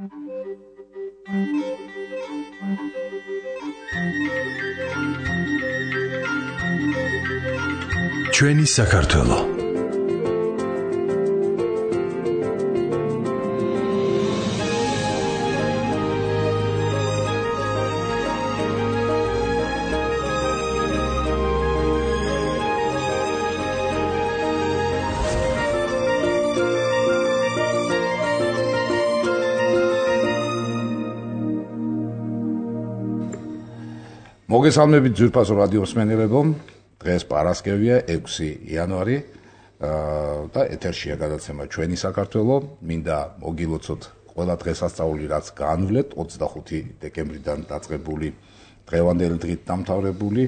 ჩვენი საქართველო მოგესალმებით ძვირფასო რადიო მსმენელებო. დღეს პარასკევია 6 იანვარი და ეთერშია გადაცემა ჩვენი საქართველო. მინდა მოგილოცოთ ყველა დღესასწაული, რაც განვლეთ 25 დეკემბრიდან დაწყებული დღევანდელი დღით დამთავრებული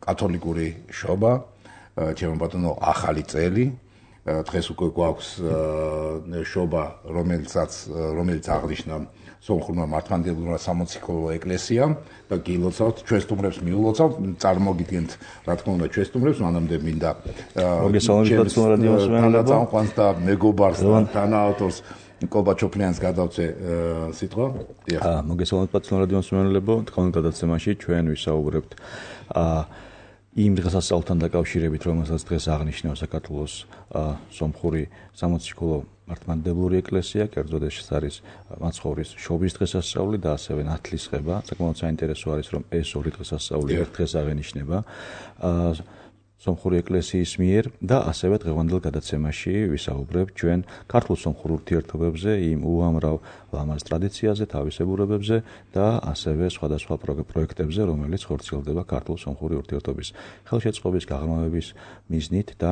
კათოლიკური შობა, ჩემო ბატონო, ახალი წელი. დღეს უკვე გვაქვს შობა, რომელიც აღნიშნა სომხურმა მართლმადიდებლურმა სამოციქულო ეკლესიამ და გილოცავთ, ჩვენ სტუმრებს მიულოცავთ, წარმოგიდგენთ, რა თქმა უნდა, ჩვენ სტუმრებს, მანამდე მინდა მოგესალმებით რადიო მსმენელებო და მეგობარს და თანაავტორს კობაჩოფლიანს გადავწე სიტყვა. მოგესალმებით რადიო მსმენელებო, თქვენ გადაცემაში ჩვენ ვისაუბრებთ იმ დღესასწაულთან დაკავშირებით, რომელსაც დღეს აღნიშნავს საქართველოს სომხური სამოციქულო მართლმადიდებლური ეკლესია, კერძოდ ეს არის მაცხოვრის შობის დღესასწაული და ასევე ნათლისღება. საკმაოდ საინტერესო არის, რომ ეს ორი დღესასწაული ერთ დღეს აღენიშნება სომხური ეკლესიის მიერ და ასევე დღევანდელ გადაცემაში ვისაუბრებთ ჩვენ ქართულ-სომხურ ურთიერთობებზე, იმ უამრავ ლამაზ ტრადიციაზე, თავისებურებებზე და ასევე სხვადასხვა პროექტებზე, რომელიც ხორციელდება ქართულ-სომხური ურთიერთობის ხელშეწყობის, გაღრმავების მიზნით და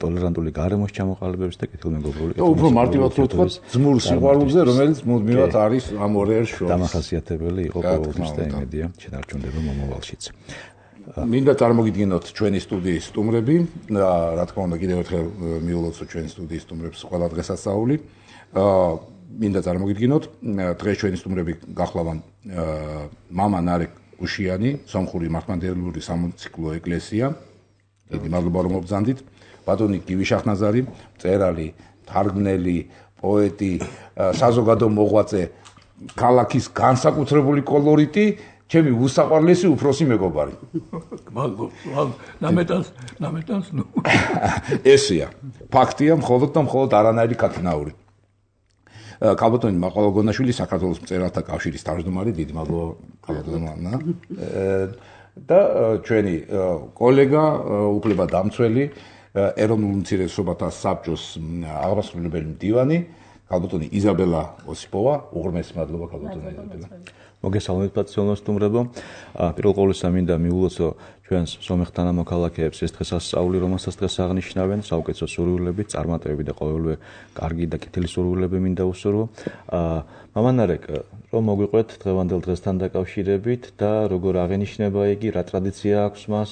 ტოლერანტული გარემოს ჩამოყალიბების და კეთილმეგობრული უფრო მარტივად ვთქვათ, ძმურ სიყვარულზე, რომელიც მუდმივად არის ამ ორ ერს შორის. დამახასიათებელი იყო ყოველთვის და იმედია შენარჩუნდება მომავალშიც. მინდა წარმოგიდგინოთ ჩვენი სტუდიის სტუმრები და რა თქმა უნდა კიდევ ერთხელ მიულოცოთ ჩვენი სტუდიის სტუმრებს ყველა დღესასწაული. მინდა წარმოგიდგინოთ დღეს ჩვენი სტუმრები გახლავან მამა ნარეკ გუშიანი, სომხური მართლმადიდებლური სამოციქულო ეკლესია. დიდი მადლობა რომ მობრძანდით. ბატონი გივი შახნაზარი, მწერალი, თარგმნელი, პოეტი, საზოგადო მოღვაწე, ქალაქის განსაკუთრებული კოლორიტი, ჩემი უსაყვარლესი უფროსი მეგობარი. ნამეტანს ნუ. ესეა. ფაქტია, მხოლოდ და მხოლოდ არანაირი ქათნაური. კალბატონი მაყვალოგონაშვილი, საქართველოს მწერალთა კავშირის თავმჯდომარე, დიდი მადლობა კალბატონმა. და ჩვენი კოლეგა, უფლებადამცველი, ეროვნულ უმცირესობათა საბჭოს აღმასრულებელი მდივანი, კალბატონი იზაბელა ოსიპოვა. უღრმესი მადლობა კალბატონი იზაბელა. მოგესალმებით პატრიოტულ სტუმრებო. პირველ ყოვლისა მინდა მიულოცო ჩვენს სომეხთან მოქალაქეებს ეს დღესასწაული, რომელსაც დღეს აღნიშნავენ, საუკეთესო სურვილებით, წარმატებები და ყოველივე კარგი და კეთილი სურვილები მინდა უსურვო. მამა ნარეკ, რომ მოგვიყვეთ დღევანდელ დღესთან დაკავშირებით და როგორ აღენიშნება იგი, რა ტრადიცია აქვს მას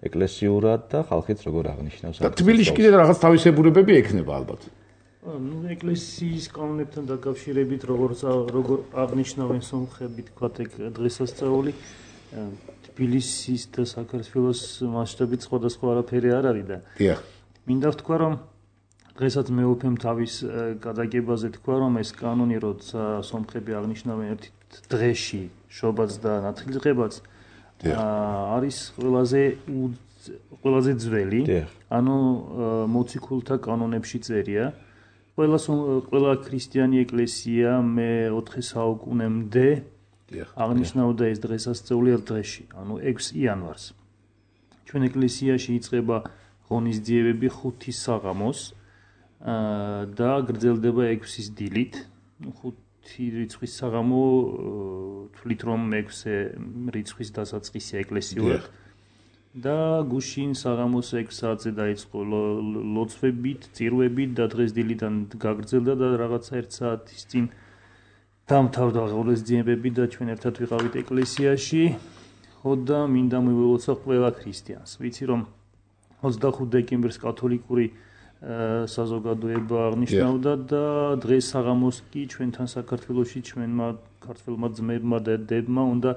ეკლესიურად და ხალხიც როგორ აღნიშნავს. და თბილისში კიდე რაღაც თავისებურებები ექნება ალბათ. ეკლესიის კანონებთან დაკავშირებით, როგორ აღნიშნავენ სომხები, თქვათ ეგ დღესასწაული, თბილისის და საქართველოს მასშტაბით სხვადასხვა არაფერი არ არის და მინდა ვთქვა, რომ დღესაც მეუფემ თავის გადაგებაზე თქვა, რომ ეს კანონი, როცა სომხები აღნიშნავენ ერთ დღეში შობაც და ნათლისღებაც, არის ყველაზე ძველი, ანუ მოციქულთა კანონებში წერია. ყველა ქრისტიანი ეკლესია მე-4 საუკუნემდე აღნიშნავდა ეს დღესასწაული ერთ დღეში, ანუ 6 იანვარს. ჩვენ ეკლესიაში იწყება ღონისძიებები 5 საღამოს და გრძელდება 6-ის დილით. 5 რიცხვის საღამო თვლით, რომ 6 რიცხვის დასაწყისი ეკლესიურად. და გუშინ საღამოს 6 საათზე დაიწყო ლოცვებით, წირვებით და დღეს დილიდან გაგრძელდა და რაღაცა 1 საათის წინ დამთავრდა ღონისძიებები და ჩვენ ერთად ვიყავით ეკლესიაში. ხო და მინდა მივულოცო ყველა ქრისტიანს. ვიცი რომ 25 დეკემბერს კათოლიკური საზოგადოება აღნიშნავდა და დღეს საღამოს კი ჩვენთან საქართველოში ჩვენმა ქართველმა ძმებმა და დებმა უნდა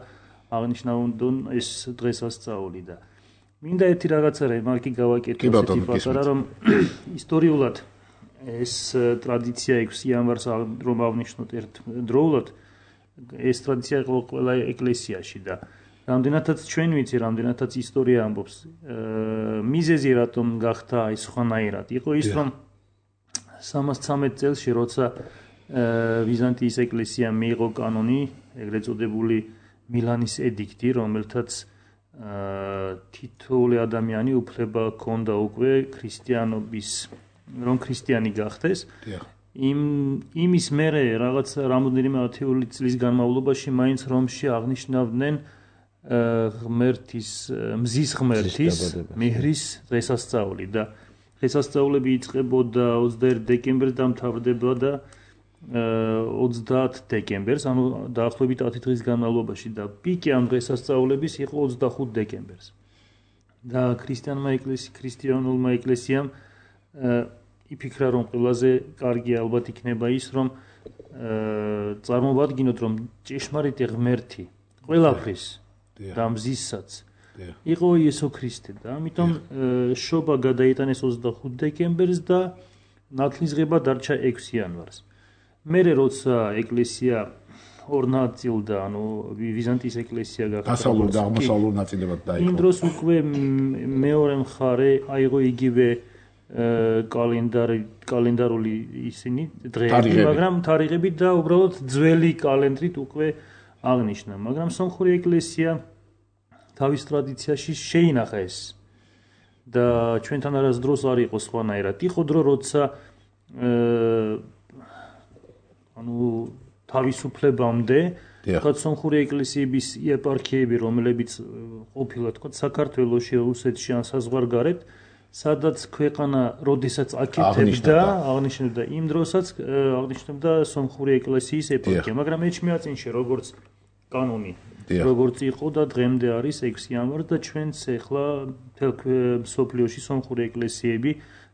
აღნიშნავდნენ ეს დღესასწაული და მინდა ერთი რაღაცა რემარკი გავაკეთო, ისეთი პატარა, რომ ისტორიულად ეს ტრადიცია 6 იანვარს რომ ავნიშნოთ ერთდროულად ეს ტრადიცია იყო ყველა ეკლესიაში და რამდენადაც ჩვენ ვიცი, რამდენადაც ისტორია ამბობს, მიზეზი რატომ გახდა აი სხვანაირად. იყო ის, რომ 313 წელს როცა ბიზანტიის ეკლესიამ მიიღო კანონი, ეგრეთ წოდებული მილანის ედიქტი, რომელთაც თითოეული ადამიანი უფლება ჰქონდა უკვე ქრისტიანობის, რომ ქრისტიანი გახდეს. იმის მერე რაღაც რამოდენიმე ათეული წლის განმავლობაში მაინც რომში აღნიშნავდნენ მზის ღმერთის მეჰრის დღესასწაული და დღესასწაულები იწყებოდა 21 დეკემბერს და მთავრდებოდა 30 დეკემბერს, ანუ დაახლოებით 10 დღის განმავლობაში და პიკი ამ დღესასწაულების იყო 25 დეკემბერს. და ქრისტიანულმა ეკლესიამ იფიქრა, რომ ყველაზე კარგი ალბათ იქნება ის, რომ წარმოვადგინოთ, რომ ჭეშმარიტი ღმერთი ყველაფრის და მზისაც იყო იესო ქრისტე და ამიტომ შობა გადაიტანეს 25 დეკემბერს და ნათლისღება დარჩა 6 იანვარს. მერე როცა ეკლესია ორ ნაწილდა, ანუ ბიზანტიის ეკლესია გახდა დასავლურ და აღმოსავლურ ნაწილებად დაიყო. იმ დროს უკვე მეორე მხარე აიღო იგივე კალენდარული ისინი დღეები, მაგრამ თარიღებით და უბრალოდ ძველი კალენდრით უკვე აღნიშნა. მაგრამ სომხური ეკლესია თავის ტრადიციაში შეინახა ეს და ჩვენთან არასდროს არ იყო სხვანაირად. იყო დრო, როცა თავისუფლებამდე თქვა სომხური ეკლესიების ეპარქიები, რომლებიც ყოფილა თქვა საქართველოში, რუსეთში ან საზღვარგარეთ, სადაც ქვეყანა როდესაც აკეთებდა, აღნიშნებდა იმ დროსაც აღნიშნებდა სომხური ეკლესიის ეპარქია, მაგრამ ეჩმიածინში როგორც კანონი როგორც იყო და დღემდე არის 6 იანვარი და ჩვენც ახლა მთელ მსოფლიოში სომხური ეკლესიები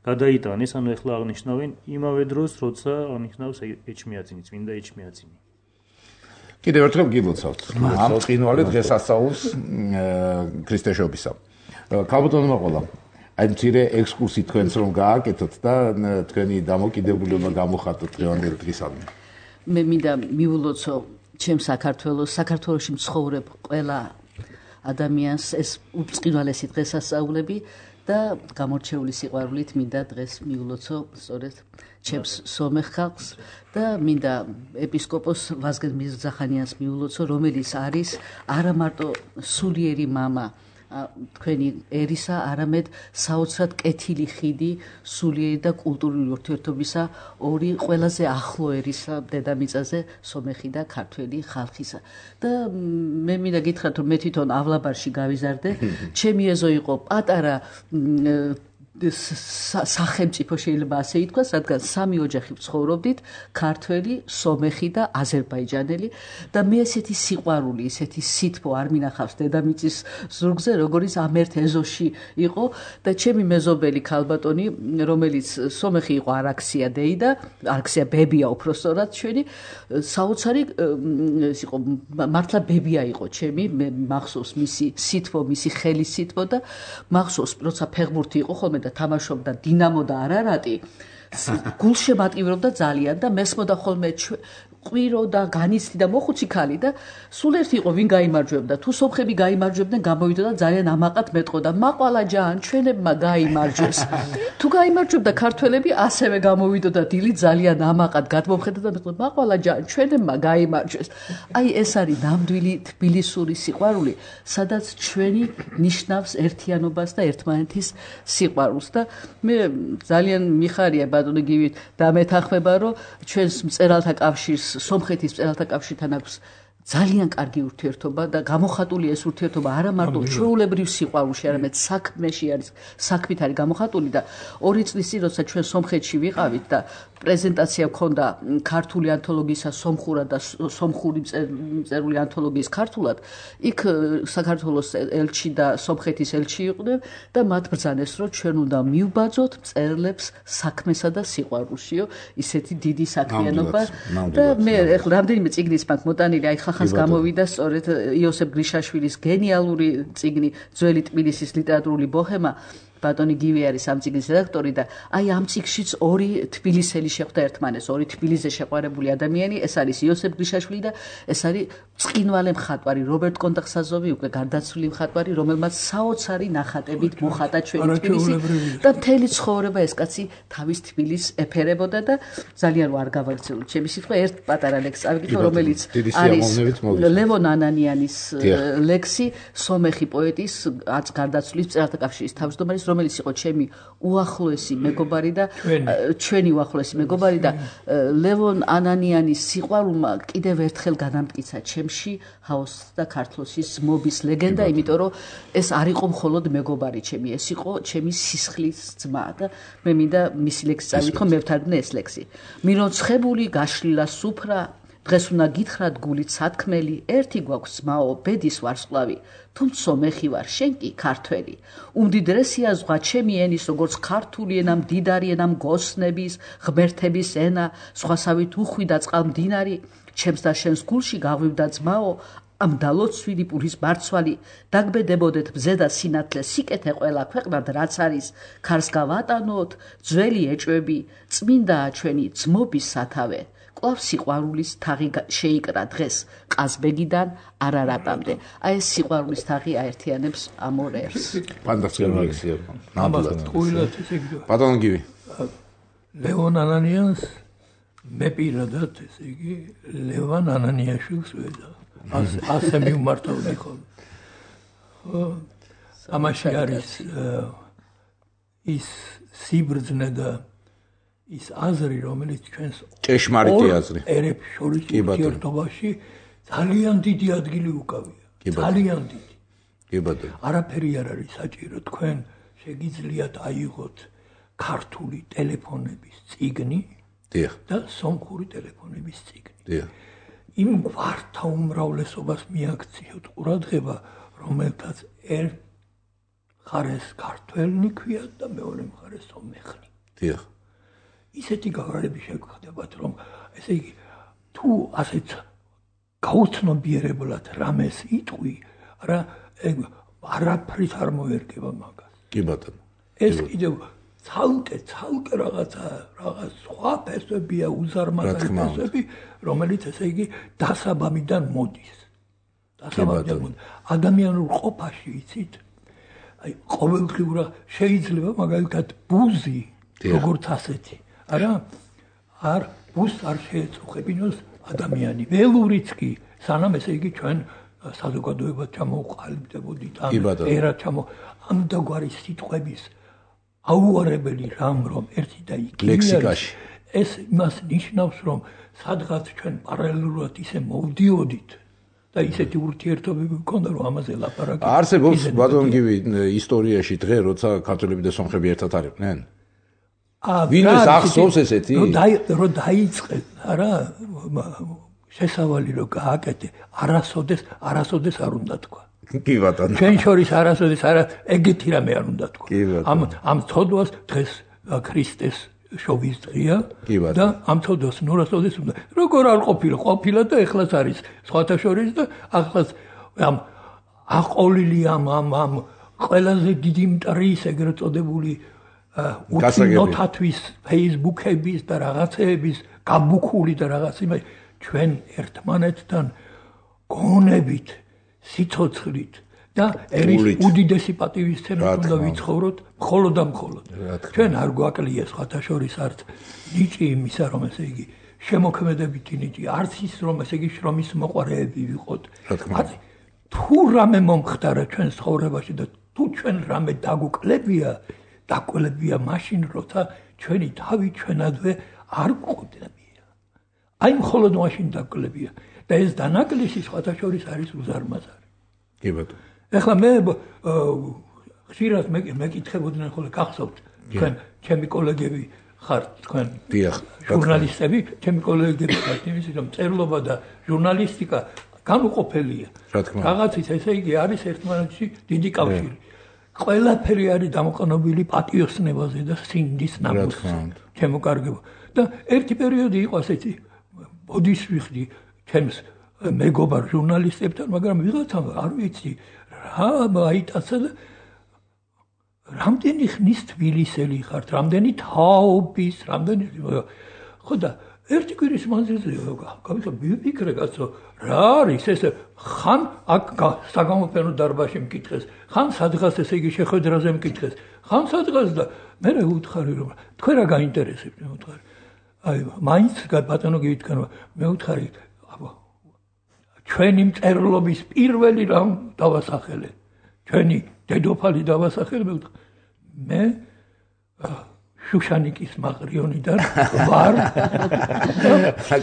გადაიტანეს, ანუ ახლა აღნიშნავენ იმავე დროს, როცა აღნიშნავს ეჩმიածინი, წმინდა ეჩმიածინი. კიდევ ერთხელ გილოცავთ ამ წინვალე დღესასწაულს ქრისტეშობისა. ქალბატონო მაყოლა, აი მცირე ექსკურსი თქვენს რომ გააკეთოთ და თქვენი დამოკიდებულება გამოხატოთ დღევანდელ დღისამდე. მე მინდა მიულოცო ჩემ საქართველოში მცხოვრებ ყველა ადამიანს ეს უწყინვალესი დღესასწაულები და გამორჩეული სიყვარულით მინდა დღეს მიულოცო სწორედ ჩემს სომეხ ხალხს და მინდა ეპისკოპოს ვაზგენ მირზახანიანს მიულოცო, რომელიც არის არა მარტო სულიერი მამა თქვენი ერისა, არამედ საოცრად კეთილი ხიდი სულიერი და კულტურული ურთიერთობისა ორი ყველაზე ახლო ერისა დედამიწაზე, სომეხი და ქართველი ხალხისა. და მე მინდა გითხრათ, რომ მე თვითონ ავლაბარში გავიზარდე, ჩემი ეზო იყო პატარა სახელმწიფო შეიძლება ასე ითქვას, რადგან 3 ოჯახი ცხოვრობდით, ქართველი, სომეხი და აზერბაიჯანელი და მე ესეთი სიყვარული, ესეთი სითბო არ მინახავს დედამიწის ზურგზე, როგორც ამ ერთ ეზოში იყო და ჩემი მეზობელი ქალბატონი, რომელიც სომეხი იყო არაქსია დეი და არაქსია ბებია უпростоრად ჩვენი, საოცარი იყო, მართლა ბებია იყო ჩემი, მე მახსოვს მისი სითბო, მისი ხელის სითბო და მახსოვს, როცა ფეხბურთი იყო ხოლმე თამაშობდა დინამო და არარატი, გულშემატკივრობდა ძალიან და მესმოდა ხოლმე ყვირო და განიცდი და მოხუცი ქალი და სულ ერთი იყო ვინ გაიმარჯვებდა, თუ სომხები გაიმარჯვებდნენ გამოვიდა და ძალიან ამაყად მეტყოდა, მაყვალა ჯან ჩვენებმა გაიმარჯვეს. თუ გაიმარჯვებდა ქართველები ასევე გამოვიდოდა დილით ძალიან ამაყად გადმომხედა და მეტყოდა, მაყვალა ჯან ჩვენებმა გაიმარჯვეს. აი ეს არის ნამდვილი თბილისური სიყვარული, სადაც ჩვენი ნიშნავს ერთიანობას და ერთმანეთის სიყვარულს და მე ძალიან მიხარია ბატონო გივით და მეთანხმება, რომ ჩვენს მწერალთა კავშირს სომხეთის მწერალთა კავშირთან აქვს ძალიან კარგი ურთიერთობა და გამოხატული ეს ურთიერთობა არა მარტო ჩვეულებრივ სიყვარულში, არამედ საქმეში არის, საქმით არის გამოხატული და 2 წლის წინ როცა ჩვენ სომხეთში ვიყავით და პრეზენტაცია ჰქონდა ქართული ანთოლოგიისა სომხურად და სომხური მწერული ანთოლოგიის ქართულად, იქ საქართველოს ელჩი და სომხეთის ელჩი იყვნენ და მათ ბრძანეს, რომ ჩვენ უნდა მივბაძოთ მწერლებს საქმესა და სიყვარულშიო, ისეთი დიდი საქმიანობა და მე ახლა რამდენიმე წიგნიც მაქვს მოტანილი, აი ხახას გამოვიდა სწორედ იოსებ გრიშაშვილის გენიალური წიგნი ძველი თბილისის ლიტერატურული ბოჰემა, ბატონი გივი არის ამ წიგნის რედაქტორი და აი ამ წიგნშიც ორი თბილისელი შეხვდა ერთმანეს, ორი თბილისზე შეყვარებული ადამიანი, ეს არის იოსებ გრიშაშვილი და ეს არის წკინვალე მხატვარი რობერტ კონტახსაზოვი, უკვე გარდაცვლილი მხატვარი, რომელმაც საოცარი ნახატებით მოხატა ჩვენი თბილისი და მთელი ცხოვრება ეს კაცი თავის თბილისს ეფერებოდა და ძალიან არ გავაგრძელოთ ჩემი სიტყვა, ერთ პატარა ლექსს ავიკითხო, რომელიც არის ლევონ ანანიანის ლექსი, სომეხი პოეტის გარდაცვლის მწერალთა კავშირის თავმჯდომარის, რომელიც იყო ჩემი უახლოესი მეგობარი და ჩვენი უახლოესი მეგობარი და ლევონ ანანიანის სიყვარულმა კიდევ ერთხელ განამტკიცა ჩემში ჰაოსის და ქართლოსის მობის ლეგენდა, იმიტომ რომ ეს არ იყო მხოლოდ მეგობარი ჩემი, ეს იყო ჩემი სისხლის ძმა და მე მინდა მისი ლექსი წავიკითხო, მე ვთარგმნე ეს ლექსი. მიროცხებული გაშლილა სუფრა, დღეს უნდა გითხრათ გულით სათქმელი, ერთი გვაქვს ძმაო, ბედის ვარსკვლავი, თუმცა სომეხი ვარ, შენ კი ქართველი. უმდიდრესია ზღვა ჩემი ენის, როგორც ქართული ენა, მდიდარი ენა მგოსნების, ღმერთების ენა, სხვასავით უხვიდა წყალმდინარი, ჩემს და შენს გულში გაღვივდა ძმაო, ამ დალოცვილი პურის ბარცვალი, დაგბედებოდეთ ბზე და სინათლე, სიკეთე ყველა ქვეყნად რაც არის, ქარს გავატანოთ, ძველი ეჭვები, წმინდაა ჩვენი ძმობის სათავე. კვლავ სიყვარულის თაღი შეიკრა დღეს ყაზბეგიდან არარატამდე. აი ეს სიყვარულის თაღი აერთიანებს ამ ორ ერს. ფანტასტიკური ლექსია. ნამდვილად ყვილად ესე იგი. ბატონო გივი. ლევონ ანანიანს მე პირადად ესე იგი ლევან ანანიაშვილს ვეძა. ასე მივმართავდი ხოლმე. ამაში არის ის სიბრძნე და ის აზრი, რომელიც ჩვენს ჭეშმარიტი აზრი ერებს შორის ურთიერთობაში ძალიან დიდი ადგილი უკავია. ძალიან დიდი. კი ბატონო. არაფერი არ არის საჭირო, თქვენ შეგიძლიათ აიღოთ ქართული ტელეფონების წიგნი და სომხური ტელეფონების წიგნი. დიახ. იმ გვართა უმრავლესობას მიაქციოთ ყურადღება, რომელთაც ერთ მხარეს ქართველნი ქვიათ და მეორე მხარეს სომეხნი. დიახ. ისეთი გაღარები შეგხვდებათ, რომ ესე იგი თუ ასეთ გაუცნობიერებლად რამეს იტყვი, არაფრით არ მოერგება მაგას. კი ბატონო. ეს კიდევ ცალკე რაღაც სხვა ფესვებია, უზარმაზარი ფესვები, რომელიც ესე იგი დასაბამიდან მოდის. ადამიანურ ყოფაში იცით, აი ყოველდღიურად შეიძლება მაგალითად ბუზი, როგორც ასეთი არ ბუზს არ შეეწუხებინოს ადამიანი. ველურიც კი, სანამ ესე იგი ჩვენ საზოგადოებად ჩამოვყალიბდებოდით, ერა ამდაგვარი სიტყვების აუარებელი რამ, რომ ერთი და იგივე ეს იმას ნიშნავს, რომ სადღაც ჩვენ პარალელურად ისე მოვდიოდით და ისეთი ურთიერთობები გქონდა, რომ ამაზე ლაპარაკი. არსებობს ბატონო გივი ისტორიაში დღე, როცა ქართველები და სომხები ერთად არიყვნენ? ვინმეს ახსოვს ესეთი? რომ დაიწყეს, შესავალი რომ გააკეთე, არასოდეს არ უნდა თქვა. კი ბატონო. ჩვენ შორის არასოდეს ეგეთი რამე არ უნდა თქვა. ამ ცოდვას დღეს ქრისტეს შობის დღეა და ამ ცოდვას ნორასოდეს უნდა. როგორ არ ყოფილა და ეხლაც არის სხვათა შორის და ახლაც ამ აყოლილი ამ ყველაზე დიდი მტრის ეგრეთ წოდებული უცნოთათვის Facebook-ების და რაღაცეების გაბუქული და რაღაც იმას ჩვენ ერთმანეთთან გონებით, სიცოცხლით და ერის უდიდესი პატივისცემით უნდა ვიცხოვროთ მხოლოდ და მხოლოდ. ჩვენ არ გვაკლია სხვათა შორის არც ნიჭი იმისა, რომ ესე იგი შემოქმედებითი ნიჭი, არც ის რომ ესე იგი შრომის მოყვარეები ვიყოთ. თუ რამე მომხდარა ჩვენ ცხოვრებაში და თუ ჩვენ რამე დაგვკლებია მაშინ, როცა ჩვენი თავი ჩვენადვე არ გვყოდებია. აი მხოლოდ მაშინ დაგვკლებია და ეს დანაკლისი სხვათა შორის არის უზარმაზარი. კი ბატონო. ეხლა მე ხშირად მეკითხებოდნენ ხოლმე, გახსოვთ, თქვენ ჩემი კოლეგები ხართ, თქვენ ჟურნალისტები, ჩემი კოლეგები ხართ, იმის რომ წერლობა და ჟურნალისტიკა განუყოფელია. რაღაცის ესე იგი არის ერთმანეთში დიდი კავშირი. ყველაფერი არის დამოყენებული პატიოსნებაზე და სინდის ნამუსზე. ჩემო კარგებო. და ერთი პერიოდი იყო ასეთი, ბოდის ვიხდი ჩემს მეგობარ ჟურნალისტებთან, მაგრამ ვიღაცამ არ ვიცი რა აიტაცა და რამდენი ხნის თბილისელი ხართ, რამდენი თაობის, რამდენი ხო და ერთი კვირის მანძილზე გავიფიქრე კაცო, რა არის ეს ხან აქ საგამოფენო დარბაზში მკითხეს, ხან სადღაც ესე იგი შეხვედრაზე მკითხეს, ხან სადღაც და მე ვუთხარი რომ თქვენ რა გაინტერესებთ მე ვუთხარი. აი მაინც ბატონო გივითქარო მე ვუთხარი ჩვენი მწერლობის პირველი რამ დავასახელე. ჩვენი დედოფალი დავასახელე მე შუშანიკის მაყრიონიდან ვარ.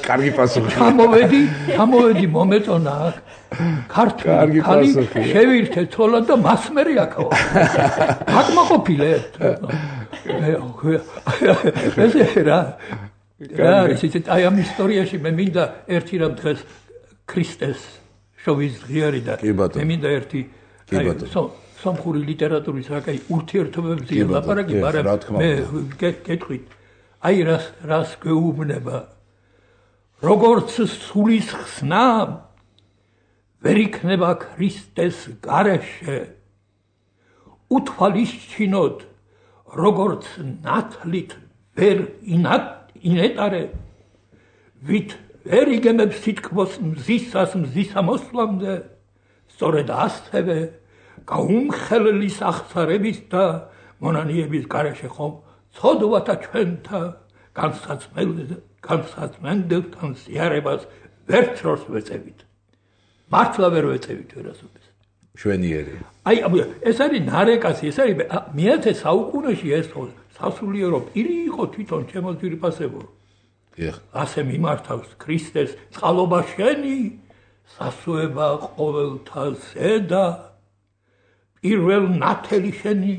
კარგი პასუხი. ჩამოვედი მომეწონა აქ. ქართული ხალი შევირთე ცოლად და მასმერი აქაო. აკმაყოფილე. ეს რა ისეთ აი ამ ისტორიაში მე მინდა ერთი რამ დღეს ქრისტეს შოვის ღიარი და მე მინდა ერთი სომხური ლიტერატურის რაკაი ურთიერთობებზე ლაპარაკი, მაგრამ მე გეტყვით, აი რას გვეუბნება, როგორც სულის ხსნა ვერ იქნება ქრისტეს გარეშე, უთვალისჩინოთ, როგორც ნათლით ვერ ინეტარე, ვით ვერ იგემებს თითქმის მზისას მზისამოსვლამდე, სწორედ ასევე გაუმხელლის აღსარების და მონანიების გარეშე ხომ ცოდვათა ჩვენთა განსაცმენდებთან ზიარებას ვერცროს ვეწევით. მართლა ვერ ვეწევით ვერასოდეს. შვენიერი. აი ეს არის ნარეკასი, ეს არის მე-10 საუკუნეში ეს სასულიერო პირი იყო თვითონ ჩემო ძვირფასებო. ასე მიმართავს ქრისტეს წყალობა შენი, სასუება ყოველთა ზედა. პირველ ნათელი შენი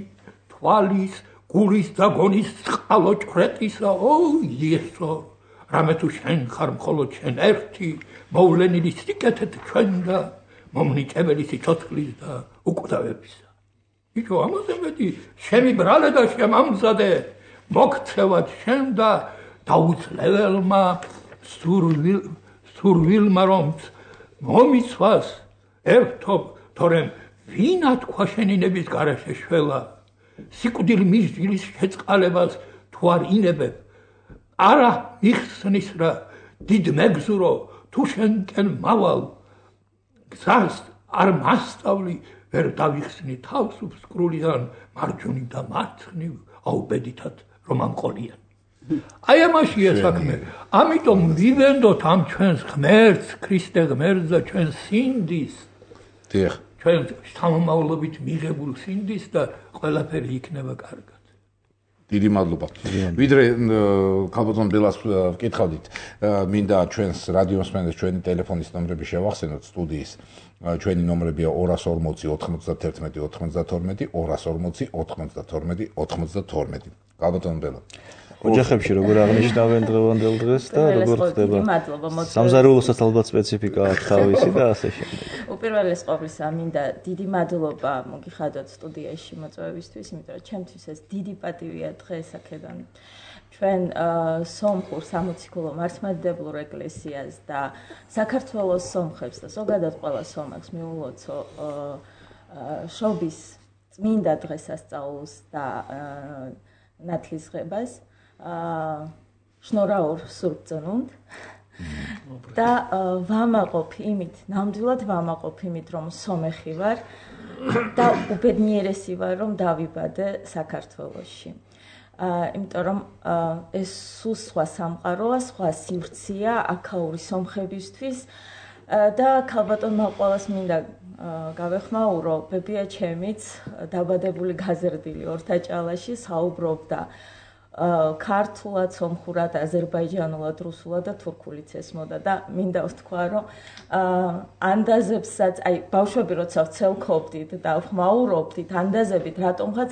თვალის, გულის და გონის წყალო ჭრეტისა, იესო, რამე თუ შენ ხარ მხოლოდ შენ ერთი, მოვლენილი სიკეთეთ ჩვენ და მომნიჭებელი სიცოცხლის და უკვდავებისა. იცო ამაზე მეტი შემიბრალე და შემამზადე, მოგცევად შენ და დაუცლებელმა სურვილმა რომ მომიცვას ერთობ, თორემ ვინა თქვა შენინების გარეშე შველა, სიკვდილ მისჯილის შეწყალებას თუ არ ინებებ, არა მიხსნის რა, დიდ მეგზურო, თუ შენკენ მავალ, გზას არ მასწავლი, ვერ დავიხსნი თავს უსკრულიდან, მარჯვნივ და მარცხნივ, აუბედითად რომ ამყოლიან. აი ამაშია საქმე, ამიტომ ვივენდოთ ამ ჩვენს ღმერთს, ქრისტე ღმერთს და ჩვენ სინდის. დიახ. ჩვენ შთამომავლობით მიღებულ სინდის და ყველაფერი იქნება კარგად. დიდი მადლობა. ვიდრე ქალბატონ ბელას ვკითხავდით, მინდა ჩვენს რადიოს მსმენელს ჩვენი ტელეფონის ნომრები შევახსენოთ სტუდიის. ჩვენი ნომრებია 240 91 92 240 92 92. ქალბატონ ბელა. ოჯახებში როგორ აღნიშნავენ დღევანდელ დღეს და როგორ ხდება? სამზარეულოსაც ალბათ სპეციფიკა აქვს თავისი და ასე შემდეგ. უპირველეს ყოვლისა მინდა დიდი მადლობა მოგიხადოთ სტუდიაში მოწვევისთვის, იმიტომ რომ ჩემთვის ეს დიდი პატივია დღეს აქედან ჩვენ სომხურ სამოციქულო მართლმადიდებლურ ეკლესიას და საქართველოს სომხებს და ზოგადად ყველა სომხს მიულოცო შობის წმინდა დღესასწაულს და ნათლისღებას. შნორაურ სურბწონუნდ და ვამაყობ იმით, ნამდვილად ვამაყობ იმით, რომ სომეხი ვარ და უბედნიერესი ვარ, რომ დავიბადე საქართველოში. იმიტომ რომ ეს სულ სხვა სამყაროა, სხვა სივრცეა აქაური სომხებისთვის და ქალბატონმა ყველას მინდა გავეხმაურო, ბებია ჩემიც დაბადებული გაზრდილი ორთაჭალაში საუბრობდა ქართულად, სომხურად, აზერბაიჯანულად, რუსულად და თურქულით ესმოდა და მინდა ვთქვა, რომ ანდაზებსაც, აი ბავშვები როცა ვცელქობდით და ვხმაურობდით ანდაზებით, რატომღაც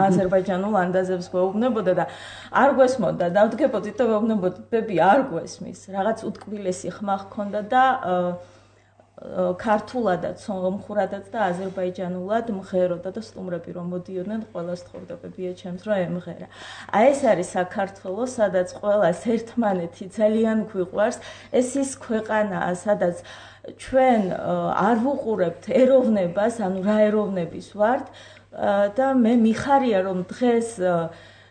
აზერბაიჯანულ ანდაზებს გვეუბნებოდა და არ გვესმოდა, დავდგებოდით და ვეუბნებოდით, ბები არ გვესმის, რაღაც უტკბილესი ხმა ჰქონდა და ქართულადაც, სომხურადაც და აზერბაიჯანულად მღეროდა და სტუმრები რომ მოდიოდნენ, ყველას თხოვდა ბებია ჩემს რომ ემღერა. აი ეს არის საქართველო, სადაც ყველას ერთმანეთი ძალიან გვიყვარს. ეს ის ქვეყანაა, სადაც ჩვენ არ ვუყურებთ ეროვნებას, ანუ რა ეროვნების ვართ, და მე მიხარია რომ დღეს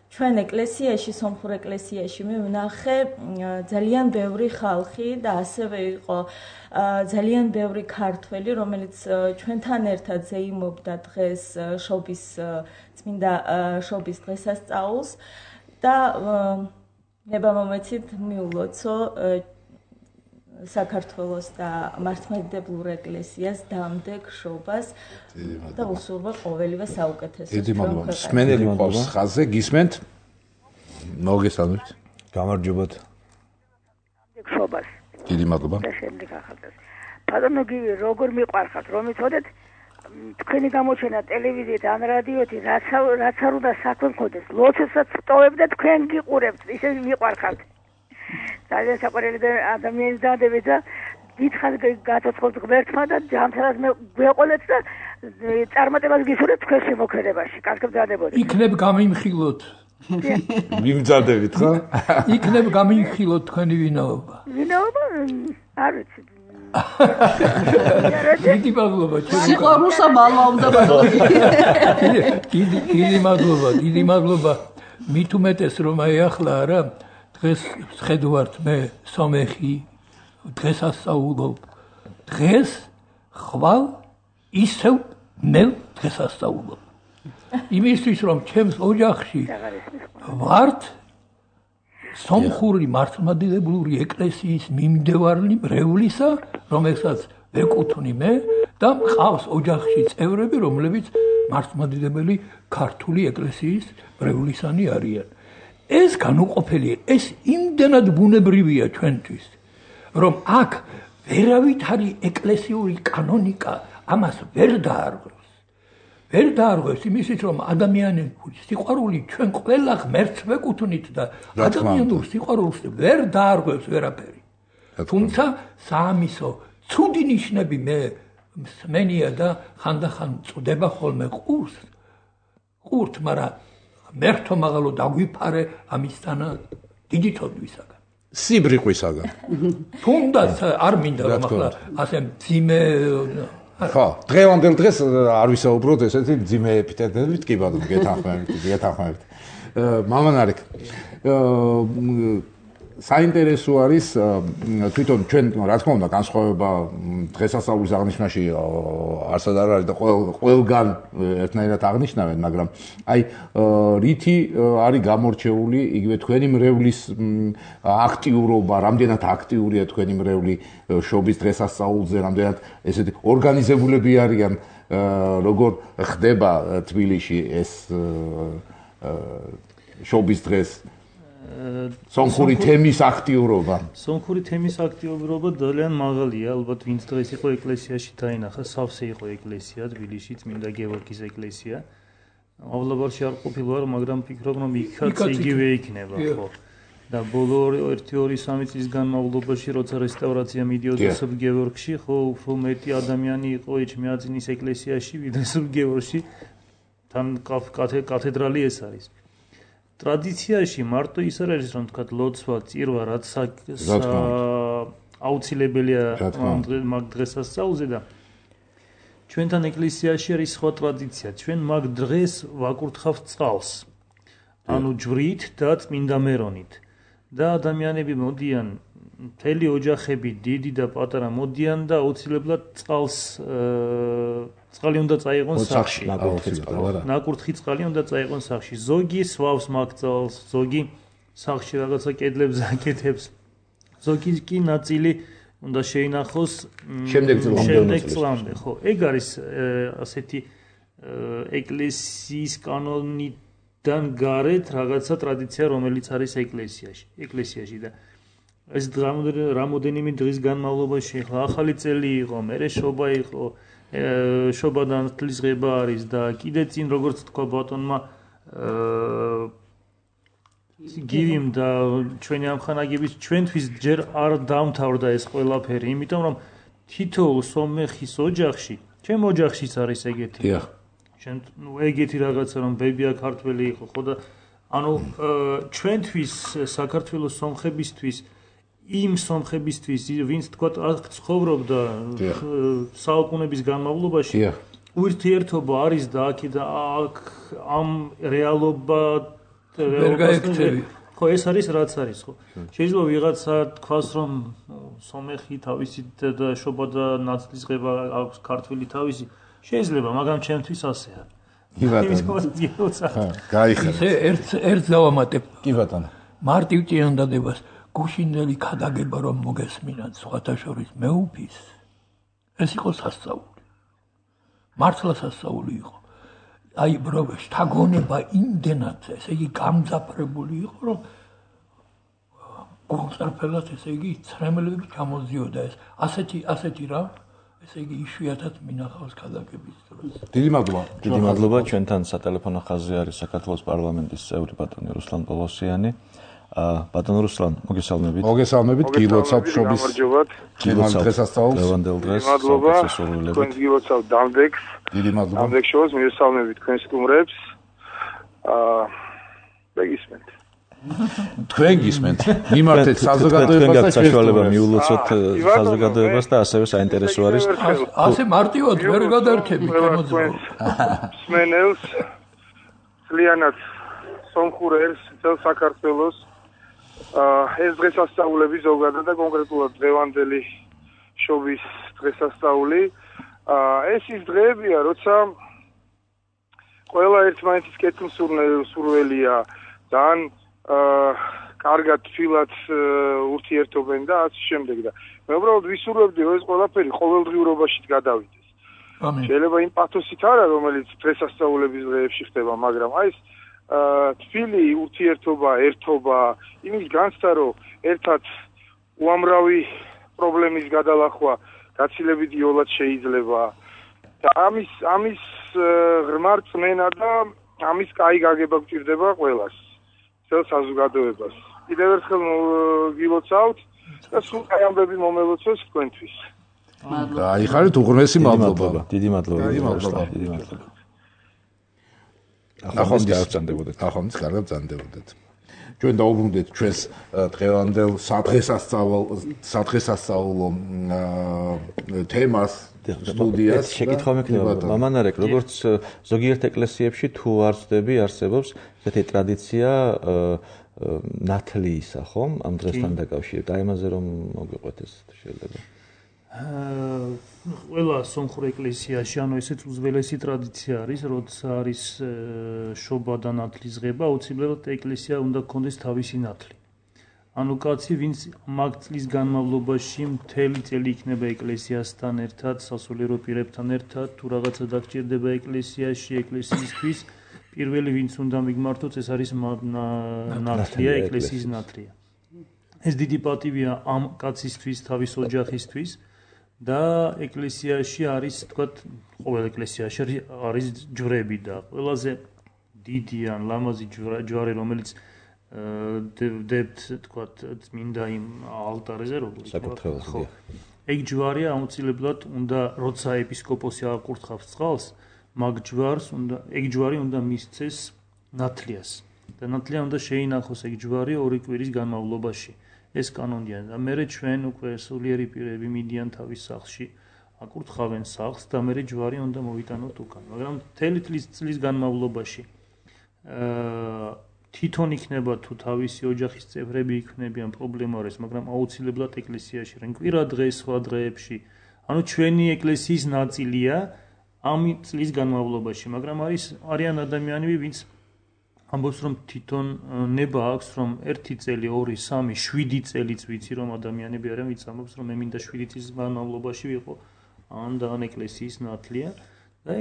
ჩვენ ეკლესიაში, სომხურ ეკლესიაში მე ვნახე ძალიან ბევრი ხალხი და ასევე იყო ძალიან ბევრი ქართველი, რომელიც ჩვენთან ერთად ზეიმობდა დღეს შობის წმინდა შობის დღესასწაულს და ნებამომეცით მიულოცო საქართველოს და მართლმადიდებლურ ეკლესიას დამდეგ შობას და უსურვა ყოველივე საუკეთესოს. დიდი მადლობა. სმენელი ყავს ხაზზე, გისმენთ? მოგესალმებით. გამარჯობათ. შობას. დიდი მადლობა. და შემდეგ ახალწელს. ბატონო გივი, როგორ მიყვარხართ, რომ იცოდეთ თქვენი გამოჩენა ტელევიზიით ან რადიოთი რაც არ უნდა საქმე მქონდეს, ლოცვასაც ვტოვებთ და თქვენ გიყურებთ, ისე მიყვარხართ. ძალიან საყვარელი ადამიანის დადებით და დიდხანს გაცოცხლოთ ღმერთმა და ჯამთანაც მე გვეყოლეთ და წარმატებას გისურვებთ თქვენ შემოქმედებაში. კარგად დადებოდეთ. იქნებ გამიმხილოთ. მიმძადებით ხო? იქნებ გამიმხილოთ თქვენი ვინაობა. ვინაობა? არ ვიცი. დიდი მადლობა ჩემო. სიყვარულსა მალვა უნდა ბატონო. დიდი მადლობა. მით უმეტეს რომ აი ახლა არა დღეს შედვართ მე სომეხი დღესასწაულობ. დღეს ხვალ ისევ ნელ დღესასწაულობ. იმისთვის რომ ჩემს ოჯახში ვართ სომხური მართლმადიდებლური ეკლესიის მიმდევარი მრევლისა, რომელსაც ვეკუთვნი მე და მყავს ოჯახში წევრები, რომლებიც მართლმადიდებელი ქართული ეკლესიის მრევლისანი არიან. ეს განუყოფელი, ეს იმდენად ბუნებრივია ჩვენთვის, რომ აქ ვერავით არის ეკლესიური კანონიკა, ამას ვერ დაარღვევს. ვერ დაარღვევს იმისით, რომ ადამიანური სიყვარული ჩვენ ყველა ღმერთს ვეკუთვნით და ადამიანურ სიყვარულს ვერ დაარღვევს ვერაფერი. თუმცა საამისო ცუდი ნიშნები მე მსმენია და ხანდახან წდება ხოლმე ყურთ, მაგრამ მერტო მაღალო დაგვიფარე ამისთანა დიდი თოდვისაგან. სიბრიყვისაგან. თუნდაც არ მინდა რომ ახლა ასე მძიმე ხო, დღევანდელ დღეს არ ვისაუბროთ ესეთი მძიმე ეპითეტებით, კი ბატონო, გეთანხმებით. მამანარიკ, საინტერესო არის თვითონ ჩვენ რა თქმა უნდა განსხვავება დღესასწაულის აღნიშვნაში არსად არ არის და ყველგან ერთნაირად აღნიშნავენ, მაგრამ აი რითი არის გამორჩეული იგივე თქვენი მრევლის აქტიურობა, რამდენად აქტიურია თქვენი მრევლი შობის დღესასწაულზე, რამდენად ესეთი ორგანიზებულები არიან, როგორ ხდება თბილისში ეს შობის დღეს სომხური თემის აქტიურობა. სომხური თემის აქტიურობა ძალიან მაღალია, ალბათ ვინც დღეს იყო ეკლესიაში დაინახა, სავსე იყო ეკლესია თბილისში, წმინდა გეორგის ეკლესია. მავლაბარში არ ყოფილვარ, მაგრამ ფიქრობ რომ იქაც იგივე იქნება, ხო. და ბოლო 1-2-3 წლის განმავლობაში, როცა რესტავრაცია მიდიოდა სულ გეორგში, ხო, უფრო მეტი ადამიანი იყო ეჩმიაძინის ეკლესიაში, ვიდრე სულ გეორგში. თან კათედრალი ეს არის. ტრადიციაში მარტო ის არ არის რომ თქვა ლოცვა, წირვა, რაც აუცილებელია მაგ დღესასწაულზე და ჩვენთან ეკლესიაში არის სხვა ტრადიცია. ჩვენ მაგ დღეს ვაკურთხავთ წყალს. ანუ ჯვრით და წმინდა მერონით. და ადამიანები მოდიან, მთელი ოჯახები, დიდი და პატარა მოდიან და აუცილებლად წყალი უნდა წაიღონ სახლში. ნაკურთხი წყალი უნდა წაიღონ სახლში. ზოგი სვავს მაგ წყალს, ზოგი სახლში რაღაცა კედლებს აკეთებს. ზოგი კი ნაწილი უნდა შეინახოს შემდეგ წლამდე. ხო, ეგ არის ასეთი ეკლესიის კანონიდან გარეთ რაღაცა ტრადიცია, რომელიც არის ეკლესიაში და ეს რამოდენიმე დღის განმავლობაში ახლა ახალი წელი იყო, მერე შობა იყო, შობადან თლისღება არის და კიდე წინ როგორც თქვა ბატონმა გივიმ და ჩვენი ამხანაგების ჩვენთვის ჯერ არ დამთავრდა ეს ყველაფერი, იმიტომ რომ თითოეულ სომეხის ოჯახში, ჩემ ოჯახშიც არის ეგეთი. ჩვენ ეგეთი რაღაცა რომ ბებია ქართველი იყო, ხო და ანუ ჩვენთვის საქართველოს სომხებისთვის იმ სომხებისთვის, ვინც თქვა აქ ცხოვრობდა საუკუნების განმავლობაში, ურთიერთობა არის და აქ ამ რეალობა ხო ეს არის რაც არის ხო შეიძლება ვიღაცა თქვას რომ სომეხი თავისი და შობა და ნაცლისღება აქვს ქართული თავისი შეიძლება მაგრამ ჩემთვის ასეა კი ბატონო გაიხარა ერთ დავამატებ კი ბატონო მარტივ წინადადებას გუშინდელი ქადაგება რომ მოგესმინათ სხვათა შორის მეუფის ეს იყო სასწაული მართლა სასწაული იყო აი ბრო შთაგონება იმდენად ესე იგი გამძაფრებული იყო რომ გულწრფელად ესე იგი ცრემლები ჩამოდიოდა ეს ასეთი რა ესე იგი იშვიათად მინახავს ქადაგების დროს დიდი მადლობა ჩვენთან სატელეფონო ხაზზე არის საქართველოს პარლამენტის წევრი ბატონი რუსლან პოლოსიანი ბატონო რუსლან მოგესალმებით გილოცავ შობის დღესასწაულს ლევანდელ დღეს მადლობა თქვენ გილოცავ დამდეგს დიდი მადლობა დამდეგ შოუს მივესალმებით თქვენ სტუმრებს მეგისმენთ თქვენ გისმენთ მიმართეთ საზოგადოებას და საშუალება მიულოცოთ საზოგადოებას და ასევე საინტერესო არის ასე მარტივად ვერ გადარჩები შემოძღვენს სმენელს ძალიანაც სომხურებს წელ საქართველოს ეს დღესასწაულები ზოგადად და კონკრეტულად დღევანდელი შობის დღესასწაული ეს ის დღეებია როცა ყველა ერთმანეთის კეთილსურველია ძალიან კარგად თვილად ურთიერთობენ და ასე შემდეგ და მე უბრალოდ ვისურვებდი რომ ეს ყველაფერი ყოველდღიურობაში გადავიდეს შეიძლება იმ პათოსით არა რომელიც დღესასწაულების დღეებში ხდება მაგრამ აი ეს თვილი ურთიერთობა ერთობა იმის განცდა რომ ერთად უამრავი პრობლემის გადალახვა გაცილებით იოლად შეიძლება და ამის ღრმა რწმენა და ამის კაი გაგება გვჭირდება ყველას წელ საზოგადოებას კიდევ ერთხელ გილოცავთ და სულ კაი ამბები მომელოცოს თქვენთვის გაიხარეთ უღრმესი მადლობა დიდი მადლობა ახლა კარგად ბრძანდებოდეთ ჩვენ დაუბრუნდეთ ჩვენს დღევანდელ სადღესასწაულო თემას სტუდიას შეკითხვა მექნება მამანარეკ როგორც ზოგიერთ ეკლესიებში თუ არ ვწდები არსებობს ესეთი ტრადიცია ნათლიისა ხომ ამ დღესთან დაკავშირებით აი ამაზე რომ მოგვიყვეთ ეს შეიძლება ყველა სომხურ ეკლესიაში ანუ ესეც უძველესი ტრადიცია არის როცა არის შობა და ნათლისღება აუცილებლად ეკლესია უნდა გქონდეს თავისი ნათლი ანუ კაცი ვინც მაგ წლის განმავლობაში მთელი წელი იქნება ეკლესიასთან ერთად სასულიერო პირებთან ერთად თუ რაღაცა დაგჭირდება ეკლესიაში ეკლესიისთვის პირველი ვინც უნდა მიგმართოს ეს არის ნათლია ეკლესიის ნათლია ეს დიდი პატივია ამ კაცისთვის თავის ოჯახისთვის და ეკლესიაში არის თქვათ ყოველ ეკლესიაში არის ჯვრები და ყველაზე დიდი ან ლამაზი ჯვარი რომელიც დებთ თქვათ წმინდა იმ ალტარზე როგორც ხო ეგ ჯვარია აუცილებლად უნდა როცა ეპისკოპოსი აკურთხავს წყალს მაგ ჯვარს უნდა ეგ ჯვარი უნდა მისცეს ნათლიას და ნათლია უნდა შეინახოს ეგ ჯვარი 2 კვირის განმავლობაში ეს კანონია და მე ჩვენ უკვე სულიერი პირები მიდიან თავის სახლში აკურთხავენ სახლს და მე ჯვარი უნდა მოვიტანოთ უკან მაგრამ მთელი წლის განმავლობაში თვითონ იქნება თუ თავისი ოჯახის წევრები იქნებიან პრობლემა არის მაგრამ აუცილებლად ეკლესიაში რენ კვირა დღეს სხვა დღეებში ანუ ჩვენი ეკლესიის ნაწილია ამ წლის განმავლობაში მაგრამ არიან ადამიანები ვინც ამბობს რომ თვითონ ნება აქვს რომ 1 წელი 2 3 7 წელიც ვიცი რომ ადამიანები არიან ვინც ამბობს რომ მე მინდა 7 წლის განმავლობაში ვიყო ან და ან ეკლესიის ნათლია და